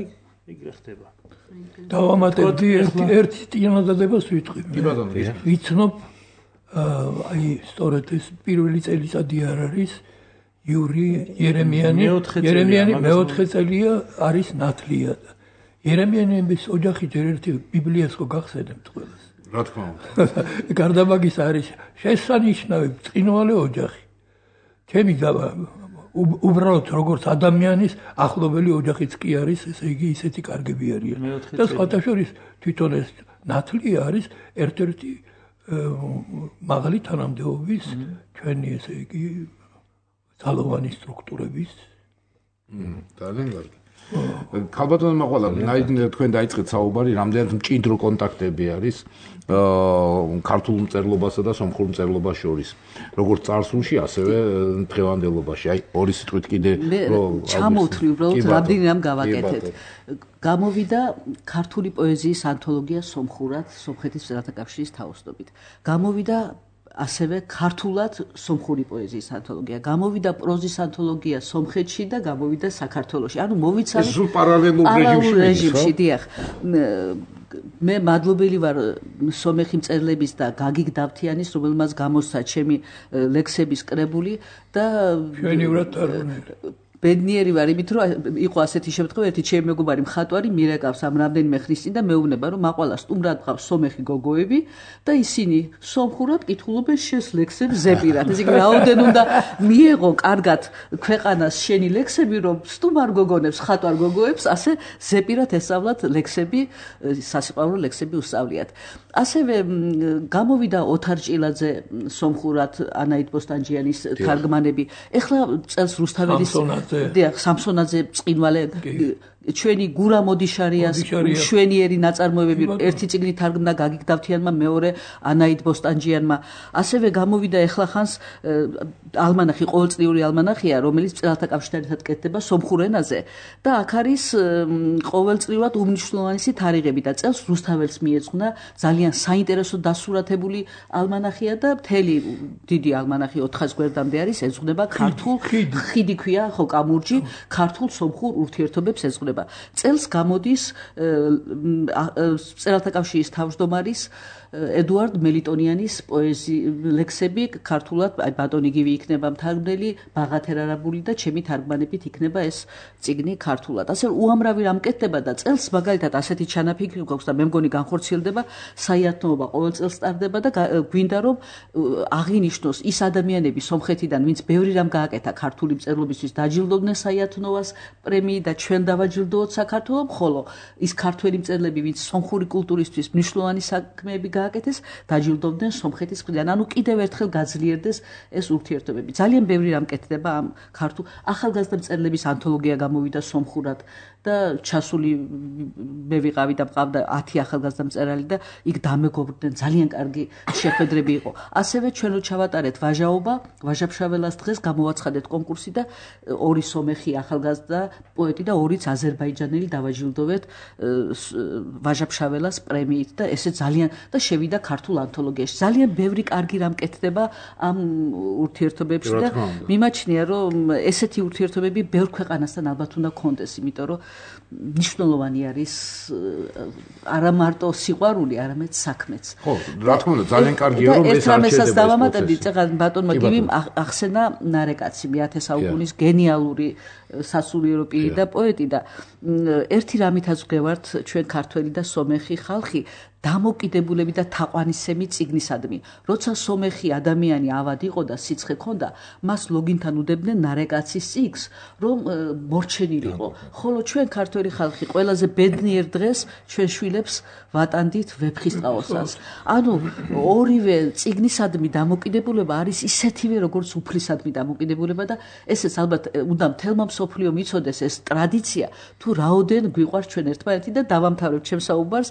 ეგრე ხდება დავამატებდი ერთი წინადადებას ვიტყვი ვიცნობ აი სწორედ ეს პირველი წელიწადი არ არის იური ერემიანი მეოთხე წელია არის ნათლია ერემიანების ოჯახი ჯერ ერთი ბიბლიას ხო გახსენებთ ყველას რა თქმა უნდა გარდა მაგისა არის შესანიშნავი ბრწყინვალე ოჯახი ჩემი უბრალოდ როგორც ადამიანის ახლობელი ოჯახიც კი არის ესე იგი ისეთი კარგები არიან და სხვათა შორის თვითონ ეს ნათლია არის ერთ-ერთი მაღალი თანამდებობის ჩვენი ესე იგი ძალოვანი სტრუქტურების ძალიან კარგი ქალბატონო მაყვალა, თქვენ დაიწყეთ საუბარი, რამდენად მჭიდრო კონტაქტები არის ქართულ მწერლობასა და სომხურ მწერლობას შორის. როგორც წარსულში, ასევე დღევანდელობაში. აი, ორი სიტყვით კიდე ჩამოვთვლი უბრალოდ რამდენი რამ გავაკეთეთ. გამოვიდა ქართული პოეზიის ანთოლოგია სომხურად, სომხეთის მწერალთა კავშირის თაოსნობით. გამოვიდა ასევე ქართულად სომხური პოეზიის ანთოლოგია. გამოვიდა პროზის ანთოლოგია სომხეთში და გამოვიდა საქართველოში. ანუ მოვიცავით ეს პარალელურ რეჟიმში, დიახ. მე მადლობელი ვარ სომეხი მწერლების და გაგიგ დავთიანის, რომელმაც გამოსცა ჩემი ლექსების კრებული და ჩვენივრად თარგმნილი. ბედნიერი ვარ იმით, რომ იყო ასეთი შემთხვევა, ერთი ჩემი მეგობარი მხატვარი მირეკავს ამ რამდენიმე ხნის წინ და მეუბნება, რომ მაყვალა სტუმრად ყავს სომეხი გოგოები და ისინი სომხურად კითხულობენ შენს ლექსებს ზეპირად. ესე იგი, რაოდენ უნდა მიეღო კარგად ქვეყანას შენი ლექსები, რომ სტუმარ გოგონებს, ხატვარ გოგოებს ასე ზეპირად ესწავლათ ლექსები, სასიყვარულო ლექსები უსწავლიათ. ასევე გამოვიდა ოთარ ჭილაძე სომხურად ანაით ბოსტანჯიანის თარგმანები. ეხლა წელს რუსთაველის დიახ, სამსონაძე წინვალე ჩვენი გურა მოდიშარიას შვენიერი ნაწარმოებები ერთი წიგნი თარგმნა გაგიგ დავთიანმა, მეორე ანაით ბოსტანჯიანმა. ასევე გამოვიდა ეხლა ხანს ალმანახი, ყოველწლიური ალმანახია, რომელიც მწერალთა კავშირთან ერთად კეთდება სომხურ ენაზე და აქ არის ყოველწლიურად უმნიშვნელოვანესი თარიღები და წელს რუსთაველს მიეძღვნა ძალიან საინტერესო დასურათებული ალმანახია და მთელი დიდი ალმანახი 400 გვერდამდე არის, ეძღვნება ქართულ ხიდი ქვია, ხო, კამურჯი, ქართულ სომხურ ურთიერთობებს ეძღვნება. წელს გამოდის მწერალთა კავშირის თავმჯდომარის ედუარდ მელიტონიანის ლექსები ქართულად, აი ბატონი გივი იქნება მთარგმნელი, ბაღათერ არაბული და ჩემი თარგმანებით იქნება ეს წიგნი ქართულად. ასე უამრავი რამ კეთდება და წელს მაგალითად ასეთი ჩანაფიქრი გვაქვს და მე მგონი განხორციელდება, საიათნოობა ყოველ წელს ტარდება და გვინდა რომ აღინიშნოს ის ადამიანები სომხეთიდან, ვინც ბევრი რამ გააკეთა ქართული მწერლობისთვის, დაჯილდოვდნენ საიათნოვას პრემიით და ჩვენ დავაჯილდოვოთ საქართველოს, ხოლო ის ქართველი მწერლები, ვინც სომხური კულტურისთვის მნიშვნელოვანი საქმეები გააკეთეს, დაჯილდოვდნენ სომხეთის მხრიდან. ანუ კიდევ ერთხელ გაძლიერდეს ეს ურთიერთობები. ძალიან ბევრი რამ კეთდება ამ ქართულ ახალგაზრდა მწერლების ანთოლოგია გამოვიდა სომხურად და ჩასული მე ვიყავი და მყავდა 10 ახალგაზრდა მწერალი და იქ დამეგობრდნენ, ძალიან კარგი შეხვედრები იყო. ასევე ჩვენ ჩავატარეთ ვაჟაობა, ვაჟაფშაველას დღეს გამოვაცხადეთ კონკურსი და ორი სომეხი ახალგაზრდა პოეტი და ორიც აზერბაიჯანელი დავაჯილდოვეთ ვაჟაფშაველას პრემიით და ესე ძალიან და შევიდა ქართულ ანთოლოგიაში. ძალიან ბევრი კარგი რამ კეთდება ამ ურთიერთობებში და მიმაჩნია, რომ ესეთი ურთიერთობები ბევრ ქვეყანასთან ალბათ უნდა გქონდეს, იმიტომ რომ მნიშვნელოვანი არის არა მარტო სიყვარული, არამედ საქმეც. ხო, რა თქმა უნდა, ძალიან კარგია რომ ეს არჩევდება. ეს დავამატებდი, წეგან ბატონმა გივიმ ახსენა ნარეკაცი, მე-10 საუკუნის გენიალური სასულიერო პირი და პოეტი და ერთი რამითაც ვგევართ ჩვენ ქართველი და სომეხი ხალხი დამოკიდებულები და თაყვანისცემი წიგნისადმი. როცა სომეხი ადამიანი ავად იყო და სიცხე ქონდა, მას ლოგინთან უდებდნენ ნარეკაცის წიგნს, რომ მორჩენილიყო. ხოლო ჩვენ ქართველი ხალხი ყველაზე ბედნიერ დღეს ჩვენ შვილებს ვატანდით ვეფხისტყაოსანს. ანუ ორივე წიგნისადმი დამოკიდებულება არის ისეთივე, როგორც უფლისადმი დამოკიდებულება და ესეც ალბათ უნდა მთელმა მსოფლიომ იცოდეს ეს ტრადიცია, თუ რაოდენ გვიყვარს ჩვენ ერთმანეთი და დავამთავრებ ჩემს საუბარს.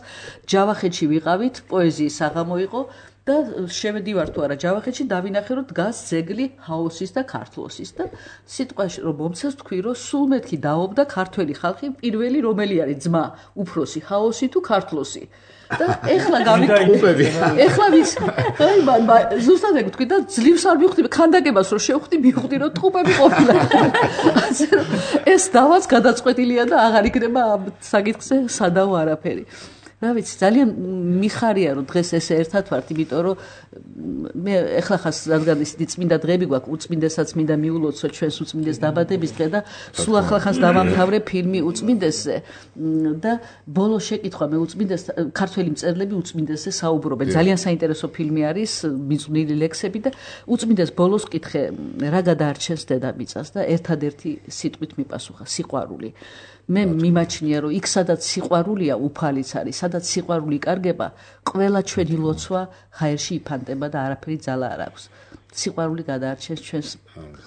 ჯავახეთში ვიყავით, პოეზიის საღამო იყო და შევედივარ თუ არა ჯავახეთში, დავინახე რომ დგას ძეგლი ჰაოსის და ქართლოსის და სიტყვაში რომ მომცეს თქვი რომ სულ მეთქი დაობდა ქართველი ხალხი პირველი რომელი არის ძმა, უფროსი, ჰაოსი თუ ქართლოსი. და ეხლა გავიკეთე. ეხლა ვის? აი ზუსტად ეგ თქვი და ძლივს არ მივხვდი, ქანდაკებას რომ შევხვდი, მივხვდი რომ ტყუპები ყოფილა. ეს დავაც გადაწყვეტილია და აღარ იქნება ამ საკითხზე სადავო არაფერი. რა ვიცი, ძალიან მიხარია რომ დღეს ესე ერთად ვართ, იმიტომ რომ მე ეხლა ხას რადგან ისეთი წმინდა დღეები გვაქვს, უწმინდესაც მინდა მიულოცო ჩვენს უწმინდეს დაბადების დღე და სულ ახლა ხას დავამთავრე ფილმი უწმინდესზე და ბოლო შეკითხვა მე უწმინდეს ქართველი მწერლები უწმინდესზე საუბრობენ. ძალიან საინტერესო ფილმი არის, მიწვნილი ლექსები და უწმინდეს ბოლოს კითხე რა გადაარჩენს დედამიწას და ერთადერთი სიტყვით მიპასუხა სიყვარული. მე მიმაჩნია რომ იქ სადაც სიყვარულია უფალიც არის, სადაც სიყვარული კარგება, ყველა ჩვენი ლოცვა ჰაერში იფანტება და არაფერი ძალა არ აქვს. სიყვარული გადაარჩენს ჩვენს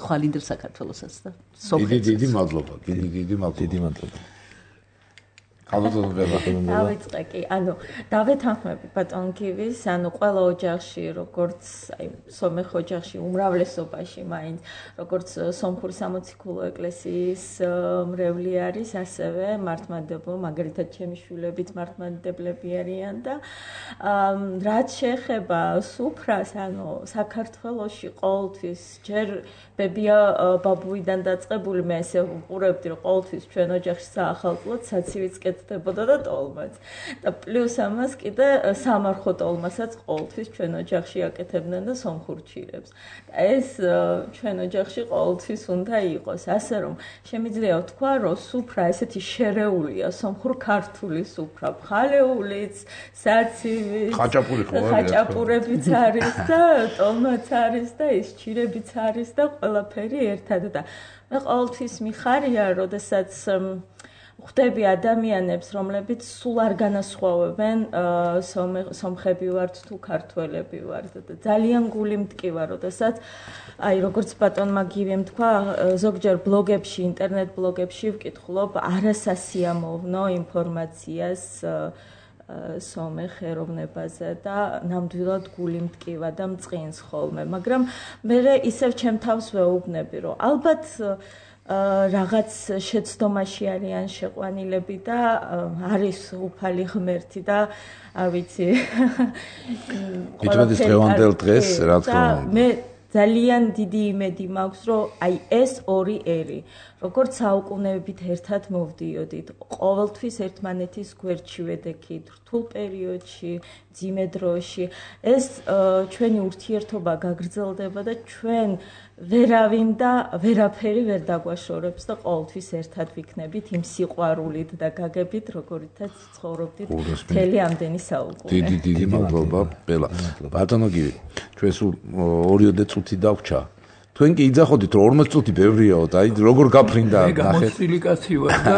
ხვალინდელ საქართველოსაც და სომხეთსაც. დიდი მადლობა, დიდი მადლობა. დავიწყე კი, ანუ დავეთანხმები ბატონ გივის, ანუ ყველა ოჯახში, როგორც აი სომეხ ოჯახში უმრავლესობაში მაინც, როგორც სომხური სამოციქულო ეკლესიის მრევლი არის, ასევე მართლმადიდებლო, მაგალითად ჩემი შვილებიც მართლმადიდებლები არიან და რაც შეეხება სუფრას, ანუ საქართველოში ყოველთვის ჯერ ბებია ბაბუიდან დაწყებული, მე ესე ვუყურებდი, რომ ყოველთვის ჩვენ ოჯახში საახალწლოდ საცივიც კეთდებოდა და ტოლმაც. და პლუს ამას კიდე სამარხო ტოლმასაც ყოველთვის ჩვენ ოჯახში აკეთებდნენ და სომხურ ჩირებს. ეს ჩვენ ოჯახში ყოველთვის უნდა იყოს, ასე რომ შემიძლია ვთქვა, რომ სუფრა ესეთი შერეულია, სომხურ-ქართული სუფრა, ხალეულიც, საცივიც, ხაჭაპურებიც არის და ტოლმაც არის და ის ჩირებიც არის და ყველაფერი ერთად და მე ყოველთვის მიხარია, როდესაც ხვდები ადამიანებს, რომლებიც სულ არ განასხვავებენ სომხები ვართ თუ ქართველები ვართ და ძალიან გული მტკივა, როდესაც აი როგორც ბატონმა გივემ თქვა, ზოგჯერ ბლოგებში, ინტერნეტ ბლოგებში ვკითხულობ არასასიამოვნო ინფორმაციას სომეხ ეროვნებაზე და ნამდვილად გული მტკივა და მწყინს ხოლმე, მაგრამ მე ისევ ჩემ თავს ვეუბნები, რომ ალბათ რაღაც შეცდომაში არიან შეყვანილები და არის უფალი ღმერთი და არ ვიცი. მitmedes დღევანდელ დღეს რა თქმა უნდა. მე ძალიან დიდი იმედი მაქვს, რომ აი ეს ორი ერი, როგორც საუკუნეებით ერთად მოვდიოდით, ყოველთვის ერთმანეთის გვერდში ვედექით, რთულ პერიოდში, მძიმე დროში, ეს ჩვენი ურთიერთობა გაგრძელდება და ჩვენ ვერავინ და ვერაფერი ვერ დაგვაშორებს და ყოველთვის ერთად ვიქნებით იმ სიყვარულით და გაგებით, როგორითაც ცხოვრობდით მთელი ამდენი საუკუნე. დიდი მადლობა, ბელა. ბატონო გივი, ჩვენ სულ 2 წუთი დაგვჭა. თქვენ კი იძახოდით, რომ 40 წუთი ბევრიაო და აი როგორ გაფრინდა ნახეთ. მე გამოცდილი კაცი ვარ და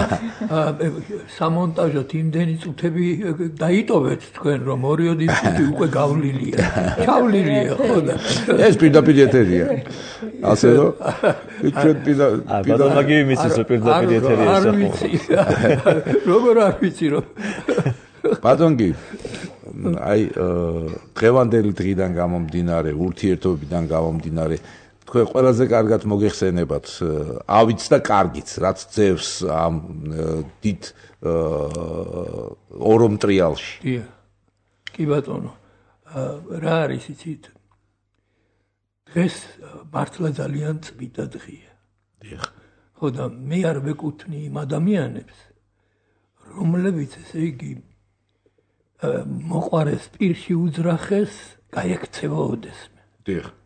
სამონტაჟოდ იმდენი წუთები დაიტოვეთ თქვენ, რომ 2 წუთი უკვე გავლილია. ჩავლილია, ხო და ეს პირდაპირ ეთერია. ასე რომ ჩვენ ბატონმა გივი მისის პირდაპირ ეთერია არ ვიცი. როგორ არ ვიცი რომ ბატონ გივი აი დღევანდელი დღიდან გამომდინარე, ურთიერთობიდან გამომდინარე თქვენ ყველაზე კარგად მოგეხსენებათ ავიც და კარგიც, რაც ძევს ამ დიდ ორომ ტრიალში. კი ბატონო, რა არის იცით? დღეს მართლა ძალიან წმინდა დღეა. დიახ. ხო და მე არ ვეკუთვნი იმ ადამიანებს, რომლებიც ესე იგი მოყვარეს პირში უძრახეს, გაიქცევა ოდესმე. დიახ.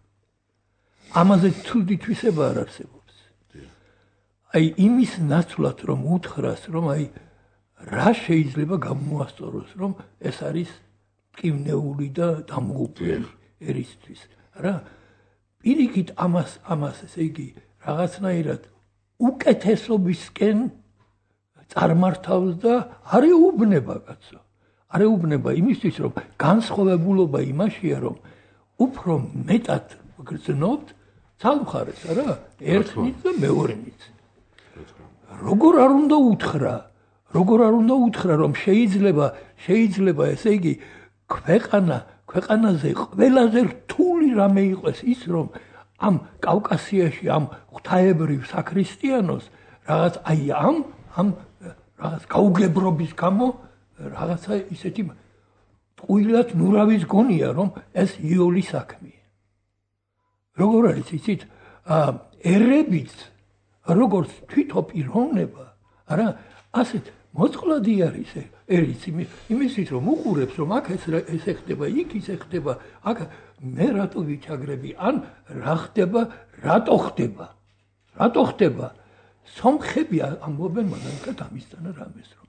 ამაზე თვდი თვისება არ არსებობს. აი იმის ნაცვლად რომ უთხრას, რომ აი რა შეიძლება გამოასწოროს, რომ ეს არის მტკივნეული და დამღუპველი ერისთვის. რა პირიქით ამას ესე იგი რაღაცნაირად უკეთესობისკენ წარმართავს და არ ეუბნება კაცო. არ ეუბნება იმისთვის, რომ განსხვავებულობა იმაშია, რომ უფრო მეტად გრძნობთ ცალმხარეს, არა? ერთნით და მეორენით. როგორ არ უნდა უთხრა? როგორ არ უნდა უთხრა, რომ შეიძლება ესე იგი ქვეყანაზე ყველაზე რთული რამე იყოს ის, რომ ამ კავკასიაში ამ ღვთაებრივ საქრისტიანოს რაღაც აი ამ რაღაც გაუგებრობის გამო რაღაცა ისეთი ტყუილად ნურავის გონია, რომ ეს იოლი საქმეა. როგორ არის იცით? ერებიც როგორც თვითოპიროვნება, არა, ასეთ მოწყვლადი არის ერიც იმისით, რომ უყურებს, რომ აქ ეს ხდება, იქ ის ხდება, აქ მე რატო ვიჩაგრები, ან რა ხდება, რატო ხდება? რატო ხდება? სომხები ამბობენ მაგალითად ამისთანა რამეს, რომ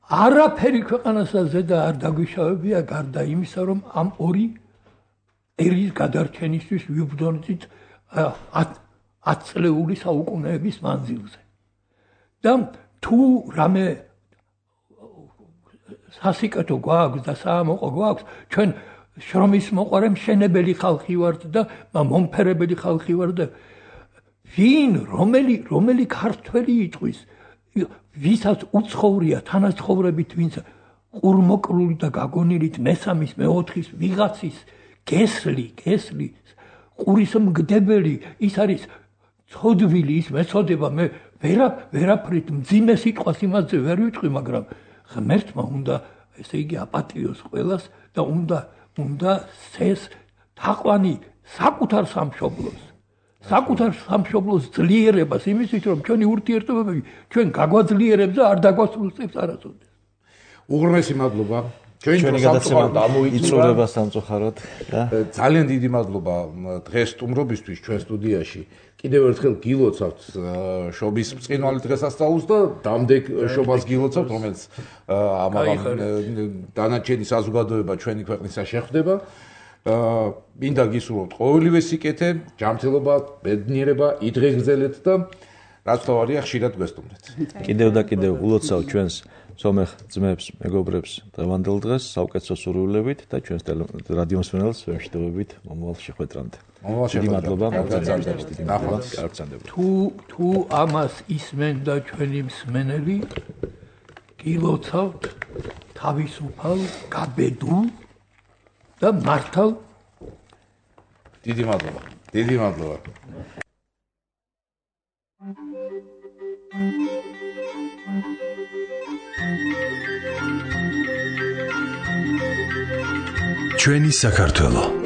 არაფერი ქვეყანასა ზედა არ დაგვიშავებია გარდა იმისა, რომ ამ ორი ერის გადარჩენისთვის ვიბრძოლით 10 წლეული საუკუნეების მანძილზე. და თუ რამე სასიკეთო გვაქვს და საამოყო გვაქვს, ჩვენ შრომის მოყარე მშენებელი ხალხი ვართ და მომფერებელი ხალხი ვართ და ვინ რომელი ქართველი იტყვის ვისაც უცხოვრია თანაცხოვრებით, ვინც ყურმოკრული და გაგონილით მესამის, მეოთხის ვიღაცის გესლი, ყურის მგდებელი, ის არის ცოდვილი, ის მეცოდება, მე ვერაფრით მძიმე სიტყვას იმაზე ვერ ვიტყვი, მაგრამ ღმერთმა უნდა, ესე იგი, აპატიოს ყველას და უნდა სცეს თაყვანი საკუთარ სამშობლოს ძლიერებას იმისთვის, რომ ჩვენი ურთიერთობები ჩვენ გაგვაძლიერებს და არ დაგვასრულებს არასოდეს. უღრმესი მადლობა. ჩვენი გადაცემა იწურება სამწუხაროდ და ძალიან დიდი მადლობა დღეს სტუმრობისთვის ჩვენ სტუდიაში. კიდევ ერთხელ გილოცავთ შობის ბრწყინვალე დღესასწაულს და დამდეგ შობას გილოცავთ, რომელიც ამაღამ დანარჩენი საზოგადოება ჩვენი ქვეყნისა შეხვდება. მინდა გისურვოთ ყოველივე სიკეთე, ჯანმრთელობა, ბედნიერება, იდღეგრძელეთ და რაც თავარია ხშირად გვესტუმრეთ. კიდევ და კიდევ ულოცავ ჩვენს სომეხ ძმებს, მეგობრებს დღევანდელ დღეს საუკეთესო სურვილებით და ჩვენს რადიო მსმენელს ვეშտობებით მომავალ შეხვედრამდე. დიდი მადლობა, თუ ამას ისმენ და ჩვენი მსმენელი გილოცავთ თავისუფალ, გაბედულ და მართალ დიდი მადლობა. ჩვენი საქართველო